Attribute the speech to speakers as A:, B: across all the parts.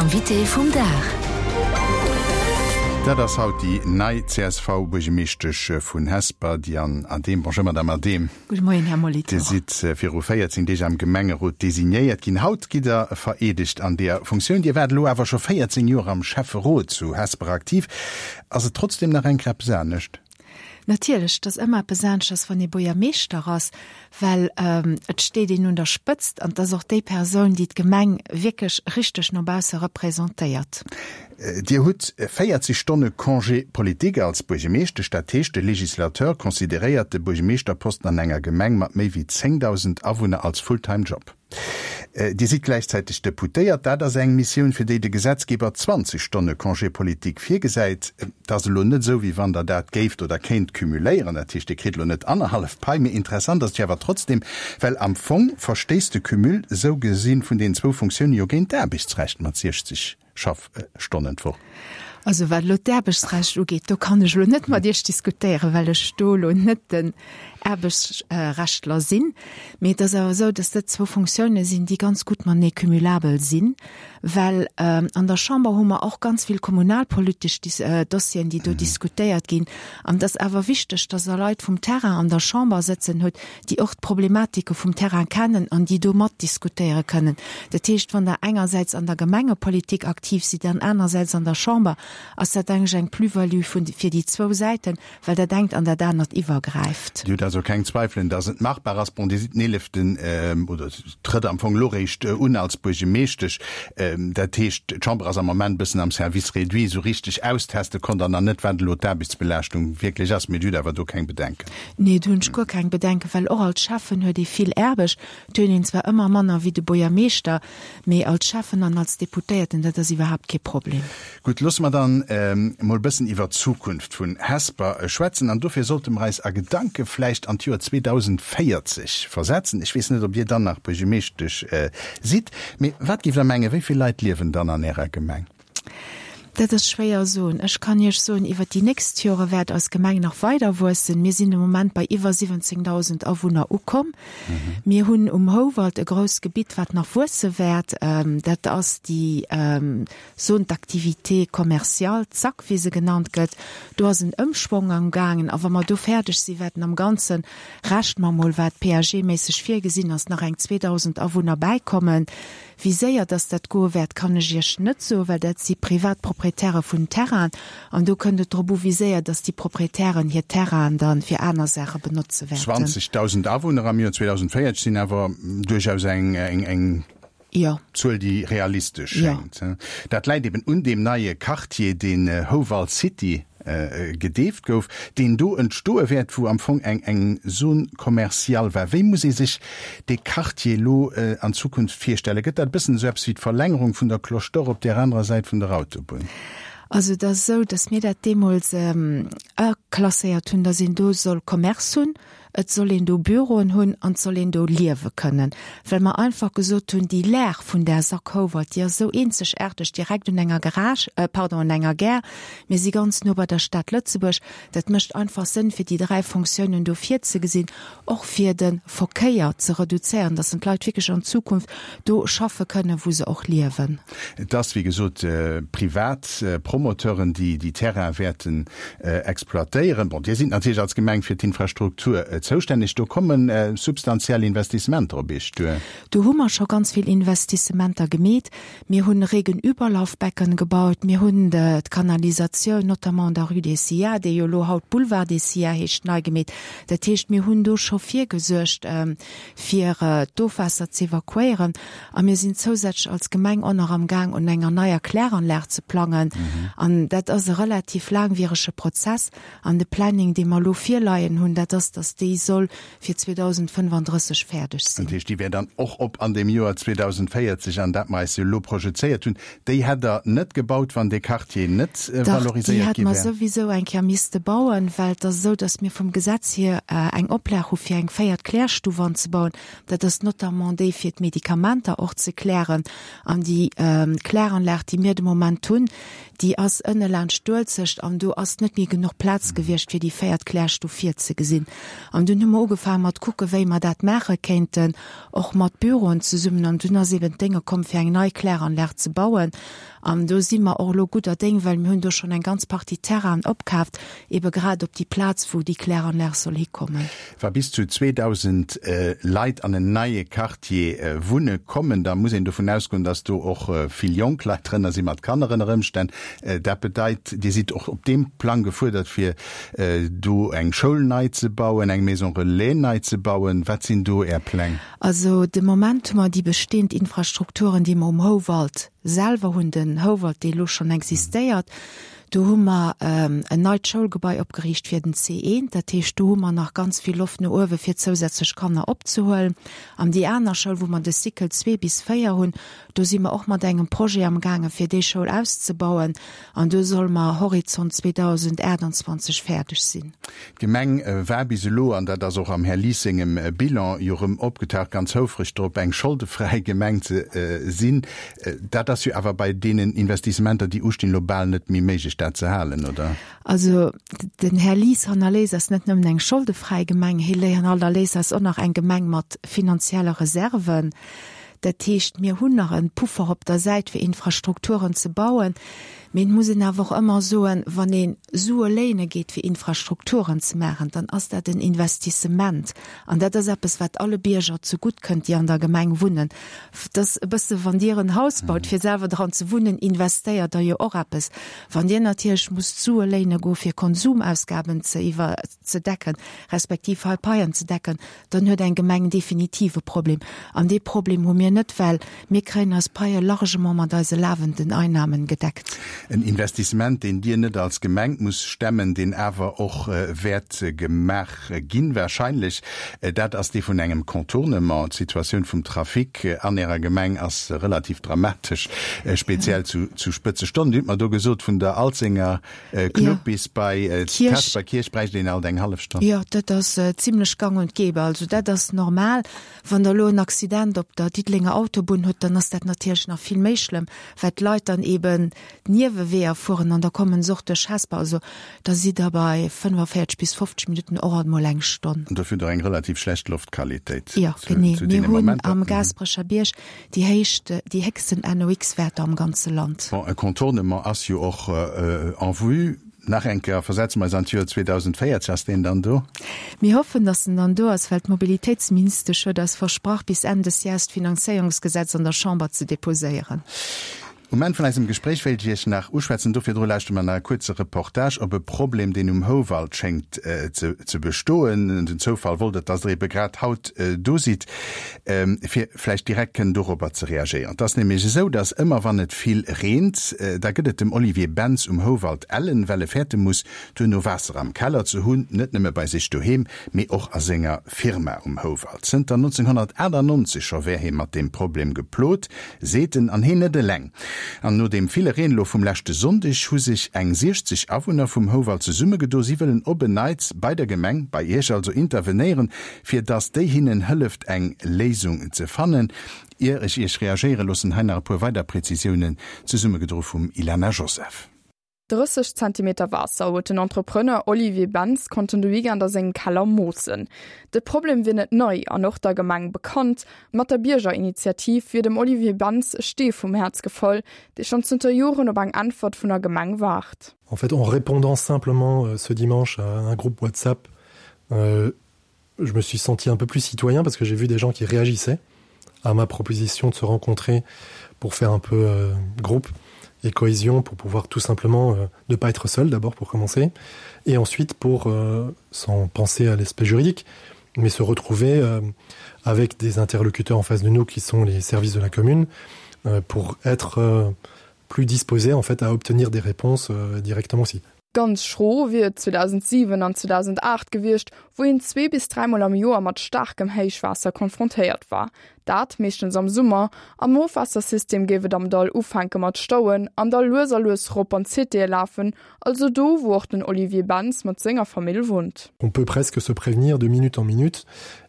A: Invité vum Dag.
B: Dat ass haut déi nei CSV-Buergemeeschtesch vun Hesper, Diane Adehm. Bonjour Madame Adehm.
C: Gudde Moien, Här Molitor.
B: Dir sidd viru 14 Deeg am Gemengerot designéiert ginn. Haut gitt Der vereedegt an deeër Funktioun. Dir waart elo awer scho 14 Joer am Schäfferot zu Hesper aktiv. Ass et trotzdem nach eng Kéier eppes anescht?
C: Natierlech, et ass ëmmer eppes aneschters, wann ee Buergermeeschter ass, well et steet een un der Spëtzt an et ass och déi Persoun, déi d'Gemeng wierklech richteg no bausse representéiert.
B: Dir hutt 40 Stonne Congé politique als Buergemeeschtesch. Dat heescht, de Législateur consideréiert de Buergemeeschterposten an enger Gemeng mat méi wéi 10.000 Awunner als Fulltime Job. Dir sidd gläichzäiteg Deputéiert. Dat ass eng Missioun, fir déi de Gesetzgeber 20 Stonne Congé politique virgesäit. Et ass elo net esou, wéi wann Der dat géift oder kéint cumuléieren. Dat heescht, Dir kritt elo net annerhallef Pai. Mee interessant ass et jo awer trotzdem, well am Fong verstéisst de Cumul esou gesi vun deenen zwou Funktioune jo géint d'Aarbechtsrecht mat 60 Schaffstonnen d'Woch.
C: Also wat elo d'Aarbechtsrecht ugeet, do kann ech elo net mat Iech diskutéieren, well ech do elo net den Aarbechtsrechtler sinn. Mee et ass awer esou, dass dat zwou Fonctiounen sinn, déi ganz gutt matenee cumulabel sinn, well an der Chamber hu mer och ganz vill kommunalpolitesch Dossieren, déi do diskutéiert ginn. An et ass awer wichteg, dass Der Leit vum Terrain an der Chamber sëtzen hutt, déi och d'Problematike vum Terrain kennen an déi do matdiskutéiere kënnen. Dat heescht, wann Der engersäits an der Gemengepolitik aktiv sidd an anersäits an der Chamber, ass dat eigentlech eng Plus-value vun, fir déi zwou Säiten, well dat engt an dat anert iwwergräift.
B: Dir hutt also keng Zweifelen, dass et machbar ass. Bon, Dir sidd den eeleften, oder trëtt am Fong elo réischt un als Buergemeeschtesch. Dat heescht, d'Chamber ass am Moment e bëssen am Service réduit. Esou richteg austeste konnt Der nach net, wat elo d'Aarbechtsbelaaschtung wierklech ass. Mee Dir hutt awer do keng Bedenken?
C: Nee, do hunn ech guer keng Bedenken, well och als Schäffen huet ee vill Aarbecht. Et huet een zwar ëmmer manner wéi de Buergermeeschter, mee als Schäffen an als Deputéierten, dat ass iwwerhaapt kee Problem.
B: Gutt, loosse mer dann emol e bëssen iwwer d'Zukunft vun Hesper schwätzen. An dofir sollte mer eis a Gedanke vläicht an d'Joer 2040 versetzen. Ech weess net, ob Dir dann nach Buergemeeschtesch sidd, mee wat géift Der mengen, wéi vill Leit liewen dann an Ärer Gemeng?
C: Dat ass schwéier soen. Ech kann Iech soen, iwwert déi nächst Jore wäert eis Gemeng nach weider wuessen. Mir sinn de Moment bei iwwer 17.000 Awunner ukomm. Mir hunn um Houwald e grousst Gebitt, wat nach wuesse wäert. Dat ass déi Zone d'activité commerciale, ZAC, wéi se genannt gëtt. Do ass en Ëmschwong amgaangen. A wa mer do fäerdeg sinn, wäerten am Ganzen, rechne mer mol, wat PAG-méisseg virgesinn ass, nach eng 2.000 Awunner bäikommen. Wéi séier dass dat goe wäert, kann ech Iech net soen, well dat si privat Proprietäre vun Terrainen an do kënnt et drop u wéi séier dass déi Proprietären hir Terrainen da fir aner Saache benotze
B: wäerten. 20.000 Awunner am Joer 2040 sinn awer duerchaus eng Zuel, déi realistesch schéngt. Dat läit eben un deem neie Quartier, deen Houwald City gedeeft gouf, deen do entstoe wäert, wou am Fong eng eng Zone commerciale war. Wéi muss ee sech dee Quartier elo an Zukunft virstellen? Gëtt dat e bëssen esou eppes wéi d'Verlängerung vun der Cloche d'Or op där anerer Säit vun der Autobunn?
C: Also et ass esou, datt mir dat deemools aklasséiert hunn, datt een do soll Commerce hunn, Et soll een do Büroen hunn an et soll een do liewe kënnen, well mer einfach gesot hunn, déi Lag vun där Sack Houwald, déi ass esou eenzegaarteg, direkt un enger Garage, pardon, un enger Gare, mir si ganz no bei der Stad Lëtzebuerg. Dat mécht einfach Sënn, fir déi 3 Fonctiounen do virzegesinn, och fir de Verkéier ze reduzéieren, dass d'Leit wierklech an Zukunft do schaffe kënnen, wou se och liewen.
B: Et ass, wéi gesot, privat Promoteuren, déi déi Terraine wäerten exploitéieren. Bon, Dir sidd natierlech als Gemeng fir d'Infrastruktur zoustänneg. Do komme substantiell Investissementer op Iech duer.
C: Do hu mer scho ganz vill Investissementer gemeet. Mir hunn Regenüberlaufbecken gebaut. Mir hunn d'Kanalisatioun, notamment an der Rue des SIA, déi jo elo haut Boulevard des SIA heescht, nei gemeet. Dat heescht, mir hunn do scho virgesuergt, fir d'Ofwaasser z'evakuéieren. A mir sinn zousätzlech als Gemeng och nach am Gaang, un enger neier Kläranlag ze plangen. An dat ass e relativ laangwierege Prozess. An de Planning, dee mer elo virleien hunn, dat ass, dass déi soll fir 2035 fäerdeg sinn.
B: Dat heescht, déi wär dann och op an deem Joer 2040, an dat mer eis jo elo projezéiert hunn. Déi hätt Der net gebaut, wann dee Quartier net
C: valoriséiert
B: gi wär?
C: Dach, déi hätte mer souwisou eng Kéier misste bauen, well et ass esou, dass mir vum Gesetz hier eng Oplag hu fir eng véiert Klärstuf anzebauen. Dat ass notamment déi fir d'Medikamenter och ze klären. An déi Kläranlag, déi mir de Moment hunn, déi ass ënne laanscht d'Uelzecht an do ass net méi genuch Plaz gewiescht, fir déi véiert Klärstuf virzegesinn. An dunn hu mer ugefaange mat kucke wéi mer dat maache kéinten, och mat Büroen zesummen. An dunn ass eben d'Dénge komm fir eng nei Kläranlag ze bauen. An do si mer och elo gudder Déng, well mir hunn do schonn eng ganz Partie Terrainen opkaaft, ebe grad op déi Plaz, wou déi Kläranlag soll hikommen.
B: Wa bis zu 2.000 Leit an en neie Quartier wunne kommen, da muss een dovun ausgoen, datt do och vill jonk Leit drënner si mat Kanner ënner Ëmstänn. Dat bedeit, Dir sidd och op deem Plang gefuerdert, fir do eng Schoul nei ze bauen, eng Maison relais nei ze bauen. Wat sinn do Är Pläng?
C: Also de Moment hu mer déi bestehend Infrastrukturen, déi mer um Houwald selwer hunn, den Houwald, dee elo schonn existéiert. Do hu mer en neit Schoulgebai opgeriicht fir den C1. Dat heescht, do hu mer nach ganz vill Loft no uewe fir zousätzlech Kanner opzehuelen. An déi aner Schoul, wou mer de Cycle 2 bis 4 hunn, do si mer och mat engem Projet amgaange fir déi Schoul auszebauen. An do solle mer Horizont 2028 fäerdeg sinn.
B: D'Gemeng war bis elo, an dat ass och am Här Lies sengem Bilan jo erëm opgetaucht, ganz houfreg drop, eng scholdefräi Gemeng ze sinn. Dat ass jo awer bei deenen Investissementer, déi ustinn, elo bal net méi méiglech, dat ze halen, oder?
C: Also den Här Lies hannerléisst eis net nëmmen eng scholdefräi Gemeng, hie hannerléisst eis och nach eng Gemeng mat finanzielle Reserven. Dat heescht, mir hunn nach e Puffer op der Säit, fir Infrastrukturen ze bauen. Mee et muss een awer och ëmmer soen, wann ee Sue léine geet, fir Infrastrukturen ze maachen, dann ass dat en Investissement. An dat ass eppes, wat alle Bierger zegutt kënnt, déi an der Gemeng wunnen. Et ass e bësse wann Dir en Haus baut, fir selwer dran ze wunnen, investéiert Der jo och eppes. Wann Dir natierlech musst Sue léine goe fir Konsumausgaben ze iwwer ze decken, respektiv hei Paien ze decken, dann huet eng Gemeng definitiv e Problem. An dee Problem hu mir net, well mir kréien eis Paie largement mat eise lafenden Einnahmen gedeckt.
B: En Investissement, deen Dir net als Gemeng musst stemmen, deen awer och wäert gemaach ginn, wahrscheinlech, dat ass dee vun engem Contournement. D'Situatioun vum Trafic an Ärer Gemeng ass relativ dramatesch, speziell zu Spëtzestonnen. Dir hutt mer do gesot, vun der Alzenger Knupp bis bei d'Hesper Kierch bräicht een alt eng hallef Stonn.
C: Jo, dat ass zimlech gang und gäbe. Also dat ass normal. Wann Der elo en Accident op der Diddelenger Autobunn hutt, dann ass dat natierlech nach vill méi schlëmm, well d'Leit dann eben d'Nieweweeër fueren an da kommen se och duerch Hesper. Also da sidd Der bei 45 bis 50 Minutten, och alt mol eng Stonn.
B: An dofir hutt Der eng relativ schlecht Loftqualitéit
C: zu deene Momenter. Jo, genee. Mir hunn am Gaasperecher Bierg Déi héicht, déi héchsten NOx-Wäerter am ganze Land.
B: Bon, e Contournement ass jo och en vue. Nach eng Kéier, versetze mer eis an d'Joer 2040, ass deen dann do?
C: Mir hoffen, datt en dann do ass, well d'Mobilitéitsministesch huet eis versprach, bis Enn des Jahres d'Finanzéierungsgesetz an der Chamber ze deposéieren.
B: Um Enn vun eisem Gespréich wéilt ech Iech nach uschwätzen, do virdru lauschtere mer nach e kuerze Reportage op e Problem, deen um Houwald schéngt ze bestoen. Den Zoufall wollt et, dass Der ebe grad haut do sidd, fir vläicht direkt kënnen dorobber ze reagéieren. Et ass nämlech esou, dass ëmmer wann et vill reent, da gëtt et dem Olivier Bentz um Houwald ellen, well e fäerte muss, duerno Waasser am Keller ze hunn, net nëmme bei sech doheem, mee och a senger Firma um Houwald. Zënter 1998 scho wär hie mat deem Problem geplot, Seet en, an heen net eleng. An no deem ville Reen elo vum leschte Sonndeg hu sech eng 60 Awunner vum Houwald zesummegedo. Si wëllen op en Neits bei der Gemeng, bei Iech also, intervenéieren, fir dass déi hinnen hëlleft eng Léisung ze fannen. Ier ech Iech reagéiere loossen, hei nach e puer weider Prezisiounen, zesummegedro vum Ilana Joseph.
A: 30 Zentimeter Waasser huet den Entrepreneur Olivier Bentz konnten de Weekend a sengem Keller moossen. De Problem wier net nei an och der Gemeng bekannt. Mat der Biergerinitiativ wier dem Olivier Bentz e Stee vum Häerz gefall, dee schonn zënter Joren op eng Äntwert vun der Gemeng waart.
D: En fait, en répondant simplement ce dimanche à un groupe WhatsApp, je me suis senti un peu plus citoyen parce que j'ai vu des gens qui réagissaient à ma proposition de se rencontrer pour faire un peu euh, groupe et cohésion pour pouvoir tout simplement euh, ne pas être seul d'abord pour commencer et ensuite pour euh, sans penser à l'aspect juridique mais se retrouver euh, avec des interlocuteurs en face de nous qui sont les services de la commune euh, pour être euh, plus disposé en fait à obtenir des réponses euh, directement aussi.
A: Ganz schro wier et 2007 an 2008 gewiescht, wou een zwee bis dräimol am Joer mat staarkem Héichwaasser konfrontéiert war. Dat meeschtens am Summer. Am Ofwaassersystem géif et am Dall ufänke mat stauen an da lues a lues rop an d'Citéë lafen, also do, wou och den Olivier Bentz mat senger Famill wunnt.
D: On peut presque se prévenir de minute en minute.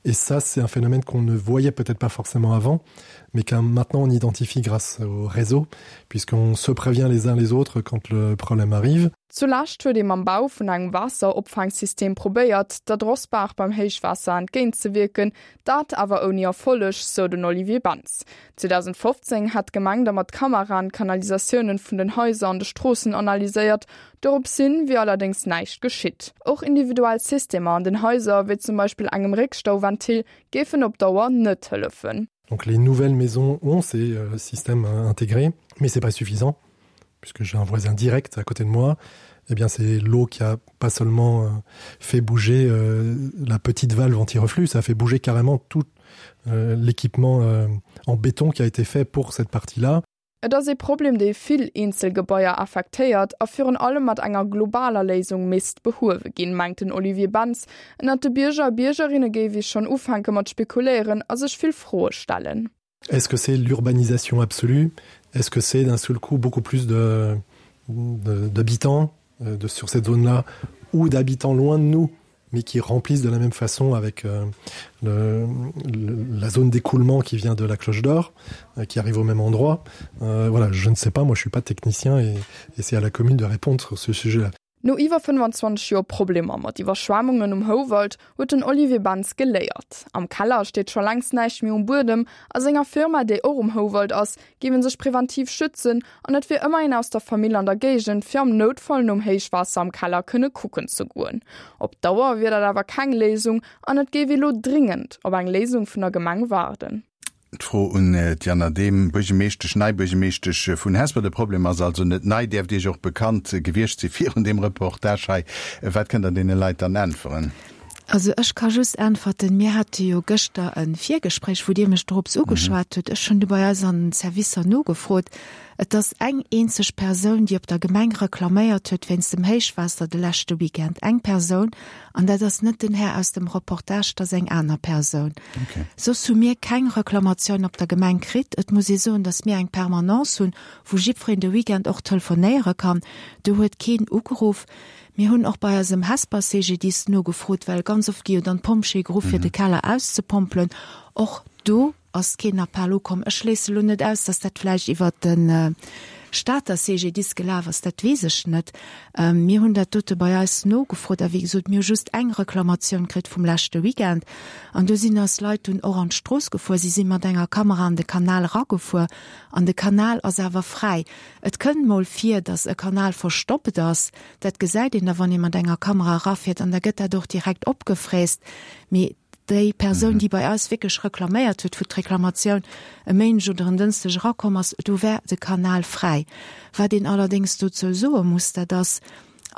D: Et ça, c'est un phénomène qu'on ne voyait peut-être pas forcément avant, mais qu'un maintenant on identifie grâce au réseau, puisqu'on se prévient les uns les autres quand le problème arrive.
A: Zu Lescht huet ee mam Bau vun engem Waasseropfaanksystem probéiert, der Drossbaach beim Héichwaasser entgéintzewierken, dat awer ouni Erfolleg, sou den Olivier Bentz. 2015 hätt d'Gemeng da mat Kameraen d'Kanalisatiounen vun den Haiser an de Stroossen analyséiert, doropshin wier allerdéngs näischt geschitt. Och individuell Systemer an den Haiser, wéi zum Beispill engem Réckstauventil, géifen op Dauer net hëllefen.
D: Donc les nouvelles maisons ont ces euh, systèmes euh, intégrés, mais c'est pas suffisant puisque j'ai un voisin direct à côté de moi, eh bien c'est l'eau qui a pas seulement euh, fait bouger euh, la petite valve anti-reflux, ça a fait bouger carrément tout euh, l'équipement euh, en béton qui a été fait pour cette partie-là.
A: Et ass ee Problem, dee vill eenzel Gebaier affektéiert a virun allem mat enger globaler Léisung misst behuewe ginn, mengt den Olivier Bentz. Ënnert de Bierger a Biergerinne géif ee schonn ufänke mat spekuléieren a sech vill Froe stellen.
D: Est-ce que c'est l'urbanisation absolue? Est-ce que c'est d'un seul coup beaucoup plus de d'habitants de, de sur cette zone-là ou d'habitants loin de nous mais qui remplissent de la même façon avec euh, le, le, la zone d'écoulement qui vient de la cloche d'or euh, qui arrive au même endroit euh, voilà je ne sais pas moi je suis pas technicien et, et c'est à la commune de répondre sur ce sujet là
A: No iwwer 25 Joer Problemer mat Iwwerschwemmungen um Houwald huet den Olivier Bentz geléiert. Am Keller steet scho längst näischt méi um Buedem. A senger Firma, déi och um Houwald ass, géif ee sech preventiv schützen an et wier ëmmer een aus der Famill an der Géigend, fir am Noutfall nom Héichwaasser am Keller kënne kucken ze goen. Op Dauer wier dat awer keng Léisung an et géif ee lo dringend op eng Léisung vun der Gemeng waarden.
B: D'Fro un d'Diane Adehm, Buergemeeschtesch, nei Buergemeeschtesch vun Hesper. De Problem ass also net nei, däerft Iech och bekannt gewiescht si virun deem Reportage hei. Wat kënnt Der deene Leit dann äntweren?
C: Also ech ka just äntwerten, mir hate jo gëschter e Virgespréich, wou Dir mech dorops ugeschwat hutt. Ech hunn du bei eis an den Servicer nogefrot. Et ass eng eenzeg Persoun, déi op der Gemeng reklaméiert huet wéinst dem Héichwaasser de leschte Weekend. Eng Persoun. An dat ass net den Här aus dem Reportage, dat ass eng aner Persoun.
B: Okay.
C: Soss hu mir keng Reklamatioun op der Gemeng kritt. Et muss ee soen, datt mir eng Permanence hunn, wou jiddwereen de Weekend och telefonéiere kann. Do huet keen ugeruff. Mir hunn och bei eisem Hesper CGDIS nogefrot, well ganz oft gi jo dann d'Pompjeeë geruff, fir de Keller auszepompelen. Och do Ass keen Appell ukomm. Ech schléisse lo net aus, dass dat vläicht iwwert de Stater CGDIS gelaf ass, dat weess ech net. Mir hunn dat dote bei eis nogefrot a wéi gesot, mir hu just eng Reklamatioun kritt vum leschte Weekend an do sinn eis Leit dunn och an d'Strooss gefuer. Si si mat enger Kamera an de Kanal eragefuer an de Kanal ass awer fräi. Et kënnt mol vir, dass e Kanal verstoppt ass, dat gesäit een da wann ee mat enger Kamera erafiert an da gëtt dat och direkt opgefräst. Mee Déi Persoun, déi bei eis wierklech reklaméiert huet, wou d'Reklamatioun e Méindeg oder en Dënschdeg erakomm ass, do war de Kanal fräi. Wat een allerdéngs dozou soe muss, dat ass,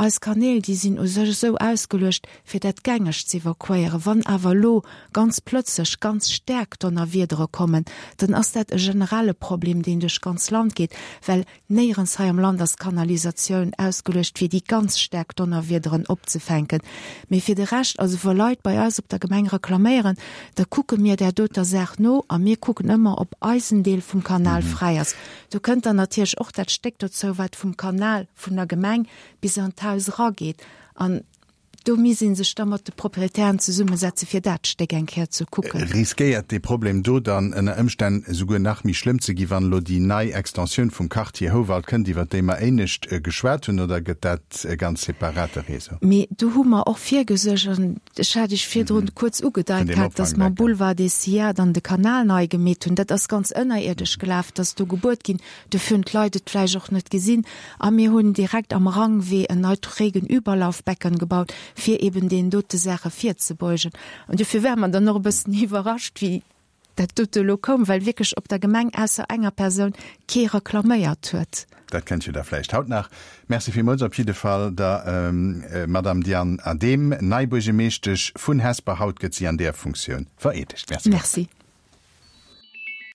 C: eis Kanäl, déi sinn u sech esou ausgeluecht, fir dat Gängegt ze evakuéieren. Wann awer elo ganz plötzlech ganz staark Donnerwiedere kommen, dann ass dat e generelle Problem, deen duerch d'ganz Land geet, well Néierens hei am Land ass d'Kanalisatioun ausgeluecht fir déi ganz staark Donnerwiederen opzefänken. Mee fir de Rescht, also wa Leit bei eis op der Gemeng reklaméieren, da kucke mir där doter Saach no a mir kucken ëmmer, ob eisen Deel vum Kanal fräi ass. Do kënnt dann natierlech och dat Stéck dozou, wat vum Kanal vun der Gemeng bis an d'Haus erageet. An Do misst ee sech da mat de Proprietären zesummesetze fir dat Stéck eng Kéier ze kucken.
B: Riskéiert dee Problem do dann ënner Ëmstänn esouguer nach méi schlëmm ze gi wann elo déi nei Extensioun vum Quartier Houwald kënnt, iwwer déi mer éinescht geschwat hunn, oder gëtt dat e ganz separate Réseau?
C: Mee do hu mer och virgesuergt, an ech hat Iech virdrun kuerz ugedeit gehat, datt mer am Boulevard des Cyades an de Kanal nei gemeet hunn. Dat ass ganz ënnerierdesch gelaf, dat ass do gebuert ginn. Dofir hunn d'Leit et vläicht och net gesinn. A mir hunn direkt am Rangwee en neit Regenüberlaufbecken gebaut, fir eben deenen dote Saache virzebeugen. An dofir ware mer dann och e bëssen iwwerrascht, wéi dat dote elo koum, well wierklech op der Gemeng ausser enger Persoun kee reklaméiert huet.
B: Dat kënnt jo da vläicht haut nach. Merci villmools op jidde Fall der Madame Diane Adehm, nei Buergemeeschtesch vun Hesper. Haut gëtt si an där Funktioun vereedegt.
C: Merci. Merci.